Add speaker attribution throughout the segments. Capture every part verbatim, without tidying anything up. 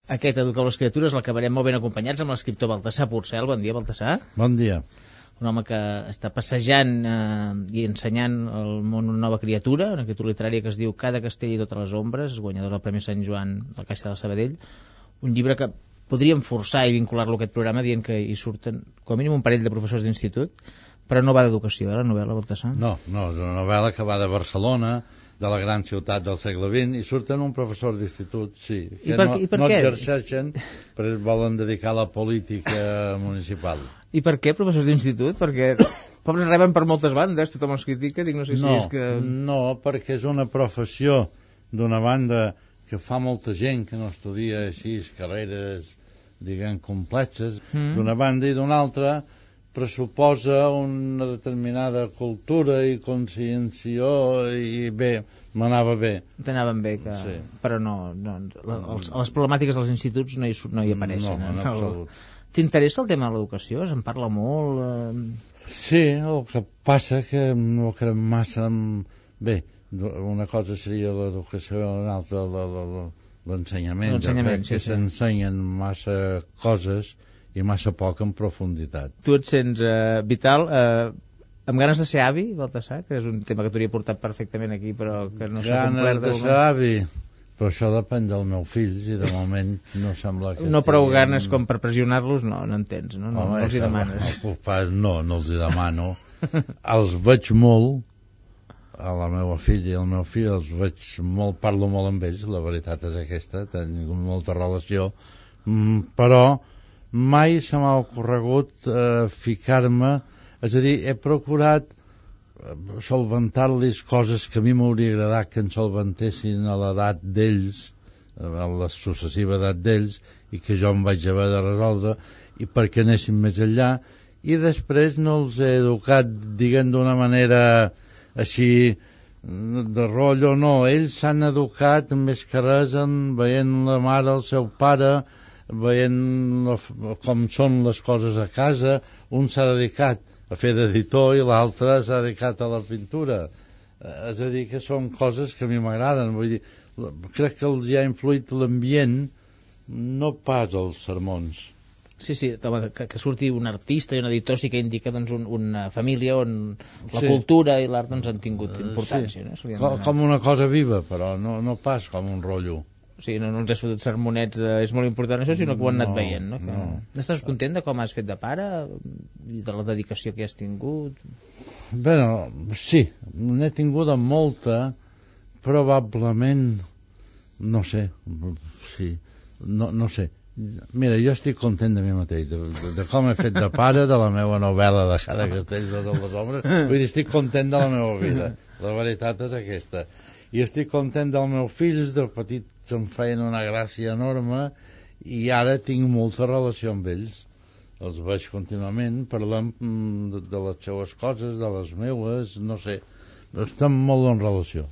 Speaker 1: Aquest Educar les criatures l'acabarem molt ben acompanyats amb l'escriptor Baltasar Porcel. Bon dia, Baltasar.
Speaker 2: Bon dia.
Speaker 1: Un home que està passejant eh, i ensenyant al món una nova criatura, una criatura literària que es diu Cada castell i totes les ombres, guanyador del Premi Sant Joan del Caixa del Sabadell. Un llibre que podríem forçar i vincular-lo a aquest programa dient que hi surten com a mínim un parell de professors d'institut, però no va d'educació, eh, la novel·la, Baltasar?
Speaker 2: No, no, és una novel·la que va de Barcelona, de la gran ciutat del segle vint, i surten un professor d'institut, sí, que
Speaker 1: I per,
Speaker 2: no,
Speaker 1: i per
Speaker 2: no
Speaker 1: què?
Speaker 2: exerceixen, però es volen dedicar a la política municipal.
Speaker 1: I per què professors d'institut? Perquè pobres reben per moltes bandes, tothom els critica, dic, no sé si
Speaker 2: No,
Speaker 1: és que...
Speaker 2: no, perquè és una professió d'una banda que fa molta gent que no estudia així carreres, diguem, complexes,
Speaker 1: Mm.
Speaker 2: d'una banda, i d'una altra pressuposa una determinada cultura i consciència, i bé, m'anava bé.
Speaker 1: T'anaven bé, que...
Speaker 2: Sí.
Speaker 1: però no, no la- els, les problemàtiques dels instituts no hi, su- no hi apareixen.
Speaker 2: No, en
Speaker 1: eh?
Speaker 2: absolut.
Speaker 1: T'interessa el tema de l'educació? Se'n parla molt? Eh...
Speaker 2: Sí, el que passa que no crec massa en... Bé, una cosa seria l'educació, una altra la- la- la- l'ensenyament.
Speaker 1: L'ensenyament,
Speaker 2: Jo crec que
Speaker 1: sí, sí.
Speaker 2: s'ensenyen massa coses i massa poc en profunditat.
Speaker 1: Tu et sents eh, vital, eh, amb ganes de ser avi, Baltasar, que és un tema que t'hauria portat perfectament aquí, però que no s'ha
Speaker 2: Ganes
Speaker 1: complert
Speaker 2: de
Speaker 1: moment.
Speaker 2: ser avi, però això depèn dels meus fills, i de moment no sembla que
Speaker 1: No prou
Speaker 2: estiguin-
Speaker 1: ganes com per pressionar-los, no, no en tens, no, no,
Speaker 2: Home,
Speaker 1: no els hi
Speaker 2: això,
Speaker 1: demanes.
Speaker 2: No, pas, no, no els hi demano. Els veig molt, a la meva filla i el meu fill, els veig molt, parlo molt amb ells, la veritat és aquesta, tinc molta relació, mm, però mai se m'ha ocorregut eh, ficar-me, és a dir, he procurat eh, solventar-los coses que a mi m'hauria agradat que en solventessin a l'edat d'ells, a la successiva edat d'ells, i que jo em vaig haver de resoldre, i perquè anessin més enllà, i després no els he educat, diguem, d'una manera així de rotllo, no, ells s'han educat més que res en veient la mare, el seu pare, veient la, com són les coses a casa. Un s'ha dedicat a fer d'editor i l'altre s'ha dedicat a la pintura. Eh, és a dir, que són coses que a mi m'agraden. Vull dir, crec que els hi ha influït l'ambient, no pas els sermons.
Speaker 1: Sí, sí, home, que, que surti un artista i un editor sí que indica doncs, un, una família on la
Speaker 2: Sí.
Speaker 1: cultura i l'art doncs, han tingut importància.
Speaker 2: Sí.
Speaker 1: No? Se li han
Speaker 2: Com,
Speaker 1: donat.
Speaker 2: com una cosa viva, però no, no pas com un rotllo.
Speaker 1: O sigui, no, no ens has fotut sermonets de, és molt important això, sinó que ho han anat
Speaker 2: No,
Speaker 1: veient. No? Que...
Speaker 2: no.
Speaker 1: Estàs content de com has fet de pare i de la dedicació que has tingut?
Speaker 2: Bé, no, sí, n'he tinguda molta, probablement, no sé, sí, no, no sé. Mira, jo estic content de mi mateix, de, de, de com he fet de pare, de la meva novel·la de Cada castell de totes les ombres. Vull dir, estic content de la meva vida, la veritat és aquesta. I estic content dels meus fills, de petits em feien una gràcia enorme, i ara tinc molta relació amb ells. Els veig contínuament, parlem mm, de, de les seues coses, de les meues, no sé, estem molt en relació.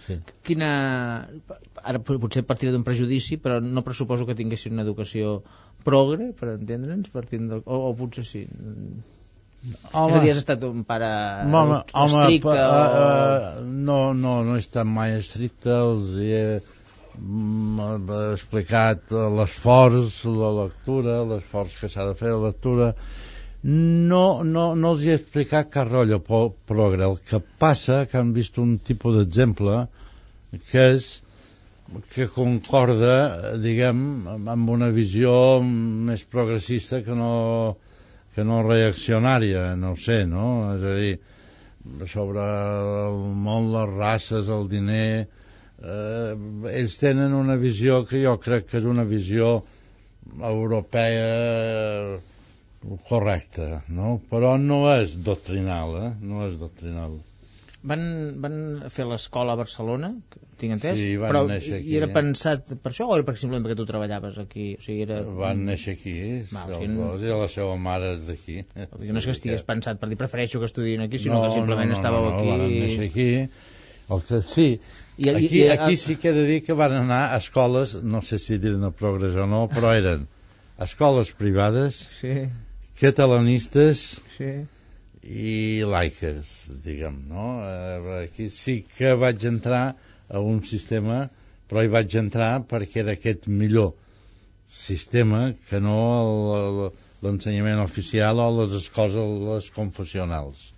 Speaker 2: Sí.
Speaker 1: Quina... Ara potser partiré d'un prejudici, però no pressuposo que tinguessin una educació progre, per entendre'ns, partint del... o, o potser sí. És a dir, has estat un pare
Speaker 2: home,
Speaker 1: estricte
Speaker 2: home,
Speaker 1: o...
Speaker 2: uh, no, no, no he estat mai estricte, els he mm, explicat l'esforç, la lectura, l'esforç que s'ha de fer, la lectura. No, no, no els he explicat cap rotllo progre. El que passa que han vist un tipus d'exemple que és que concorda, diguem, amb una visió més progressista que no, que no reaccionària, no ho sé, no? És a dir, sobre el món, les races, el diner, eh, ells tenen una visió que jo crec que és una visió europea correcte, no? Però no és doctrinal, eh? No és doctrinal.
Speaker 1: Van, van fer l'escola a Barcelona, tinc entès?
Speaker 2: Sí, van
Speaker 1: però
Speaker 2: néixer aquí,
Speaker 1: i era
Speaker 2: eh?
Speaker 1: pensat per això o era per, simplement perquè tu treballaves aquí? O sigui, era...
Speaker 2: Van néixer aquí,
Speaker 1: Va, o
Speaker 2: els
Speaker 1: sigui, no-
Speaker 2: dos, i la seva mare és d'aquí.
Speaker 1: No és que estigués pensat per dir prefereixo que estudien aquí, sinó
Speaker 2: no,
Speaker 1: que simplement
Speaker 2: no, no,
Speaker 1: estàveu
Speaker 2: no, no,
Speaker 1: aquí...
Speaker 2: van néixer aquí. El que, sí,
Speaker 1: I- i-
Speaker 2: aquí,
Speaker 1: i-
Speaker 2: aquí sí que he de dir que van anar a escoles, no sé si dir-ne progrés o no, però eren escoles privades,
Speaker 1: Sí,
Speaker 2: catalanistes
Speaker 1: sí.
Speaker 2: i laiques, diguem, no? Eh, Aquí sí que vaig entrar a un sistema, però hi vaig entrar perquè era aquest millor. sistema que no l'ensenyament oficial o les escoles les confessionals.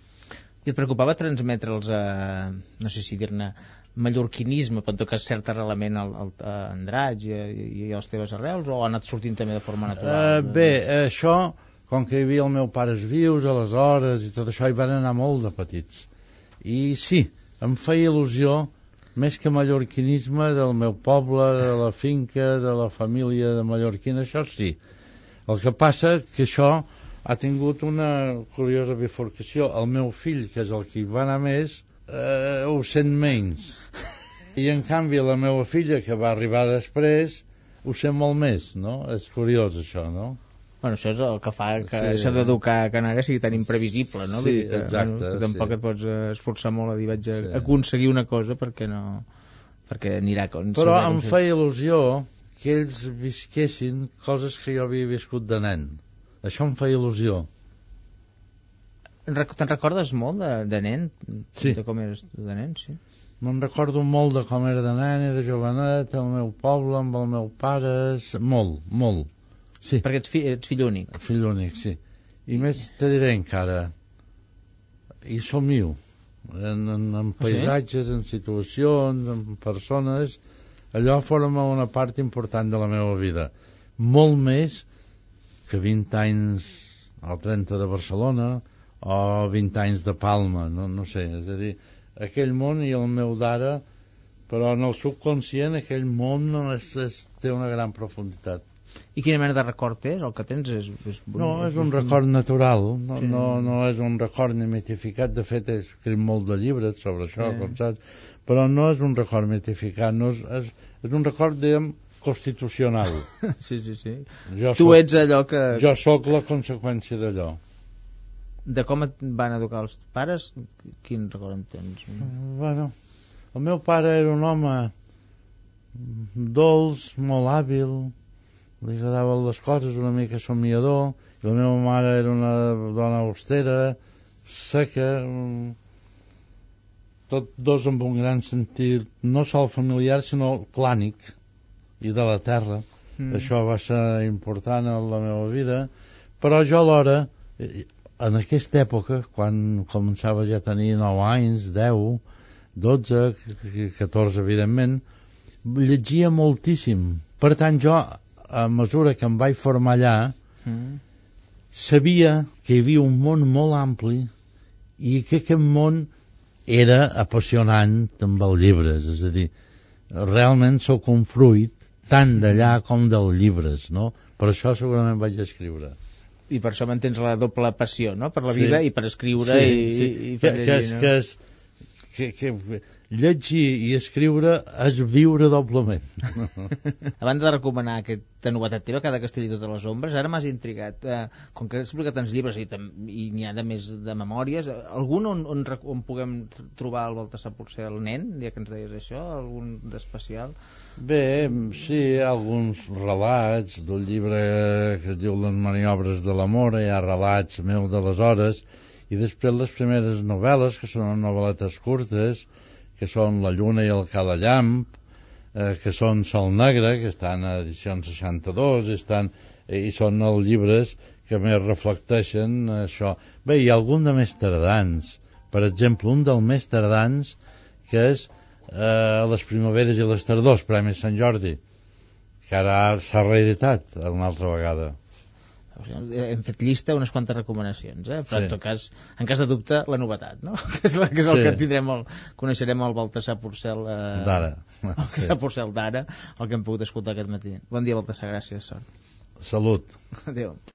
Speaker 1: I et preocupava transmetre'ls a, no sé si dir-ne, mallorquinisme, però en tot cas cert arrelament al, al, a Andratx i, i, i a les teves arrels, o ha anat sortint també de forma natural?
Speaker 2: Uh, bé, això, com que hi havia els meus pares vius aleshores i tot això, hi van anar molt de petits. I sí, em feia il·lusió, més que mallorquinisme, del meu poble, de la finca, de la família de mallorquina, això sí. El que passa que això ha tingut una curiosa bifurcació. El meu fill, que és el que hi va anar més, eh, ho sent menys. I en canvi la meva filla, que va arribar després, ho sent molt més, no? És curiós això, no?
Speaker 1: Bueno, això és el que fa que sí. Això d'educar a Canària sigui tan imprevisible, no?
Speaker 2: Sí,
Speaker 1: Vull dir que,
Speaker 2: exacte.
Speaker 1: Bueno, que tampoc
Speaker 2: sí.
Speaker 1: et pots esforçar molt a dir vaig a
Speaker 2: sí.
Speaker 1: aconseguir una cosa perquè no... perquè anirà com...
Speaker 2: Però em feia il·lusió que ells visquessin coses que jo havia viscut de nen. Això em feia il·lusió.
Speaker 1: Te'n recordes molt de, de nen?
Speaker 2: Sí.
Speaker 1: De com eres de nen, sí?
Speaker 2: Me'n recordo molt de com era de nen i de jovenet, el meu poble, amb el meu pare... Molt, molt. Sí.
Speaker 1: Perquè ets, fi, ets fill únic.
Speaker 2: Fill únic, sí. I més te diré encara, hi somio, en, en, en paisatges, sí? En situacions, en persones, allò forma una part important de la meva vida. Molt més que vint anys al trenta de Barcelona o vint anys de Palma, no, no sé, és a dir, aquell món i el meu d'ara, però en el subconscient aquell món no és, és, té una gran profunditat.
Speaker 1: I quina mena de record és? El que tens és... és
Speaker 2: no, és un record natural, no,
Speaker 1: sí.
Speaker 2: no, no és un record ni mitificat. De fet, he escrit molt de llibres sobre això, sí. Com saps? Però no és un record mitificat, no és, és, és un record, diguem, constitucional.
Speaker 1: Sí, sí, sí.
Speaker 2: Jo
Speaker 1: tu
Speaker 2: soc,
Speaker 1: ets allò que...
Speaker 2: Jo sóc la conseqüència d'allò.
Speaker 1: De com et van educar els pares, quin record en tens?
Speaker 2: Bueno, el meu pare era un home dolç, molt hàbil, li agradaven les coses, una mica somiador, i la meva mare era una dona austera, seca, tots dos amb un gran sentit, no sol familiar, sinó clànic, i de la terra. Mm. Això va ser important en la meva vida, però jo alhora, en aquesta època, quan començava ja a tenir nou anys, deu, dotze, catorze, evidentment, llegia moltíssim. Per tant, jo, a mesura que em vaig formar allà, mm. sabia que hi havia un món molt ampli i que aquest món era apassionant amb els llibres. És a dir, realment sóc un fruit tant d'allà com dels llibres, no? Per això segurament vaig escriure.
Speaker 1: I per això mantens la doble passió, no? Per la vida sí. I per escriure
Speaker 2: sí,
Speaker 1: i,
Speaker 2: sí.
Speaker 1: i fer
Speaker 2: que,
Speaker 1: llegir,
Speaker 2: que, és,
Speaker 1: no?
Speaker 2: que, és, que, que llegir i escriure és viure doblement.
Speaker 1: A banda de recomanar aquesta novetat teva, Cada castell i totes les ombres, ara m'has intrigat. Eh, com que has explicat tants llibres i, i n'hi ha de més de memòries, algun on, on, on puguem trobar el Baltasar Porcel, el nen, ja que ens deies això, algun d'especial?
Speaker 2: Bé, sí, alguns relats d'un llibre que es diu Les maniobres de l'amor, hi ha relats meus d'aleshores, i després les primeres novel·les, que són novel·letes curtes, que són La lluna i el calallamp, eh, que són Sol negre, que estan a edició seixanta-dos, estan, eh, i són els llibres que més reflecteixen això. Bé, hi ha algun de més tardans. Per exemple, un dels més tardans, que és eh, Les primaveres i les tardors, Premi Sant Jordi, que ara s'ha reeditat una altra vegada.
Speaker 1: Hem fet llista unes quantes recomanacions, eh? Però
Speaker 2: sí.
Speaker 1: En tot cas, en cas de dubte, la novetat, no? Que és, la, que, és el sí. Que tindrem el, coneixerem el Baltasar Porcel eh,
Speaker 2: d'ara,
Speaker 1: el Baltasar sí. Porcel d'ara, el que hem pogut escoltar aquest matí. Bon dia, Baltasar, gràcies, sort.
Speaker 2: Salut.
Speaker 1: Adéu.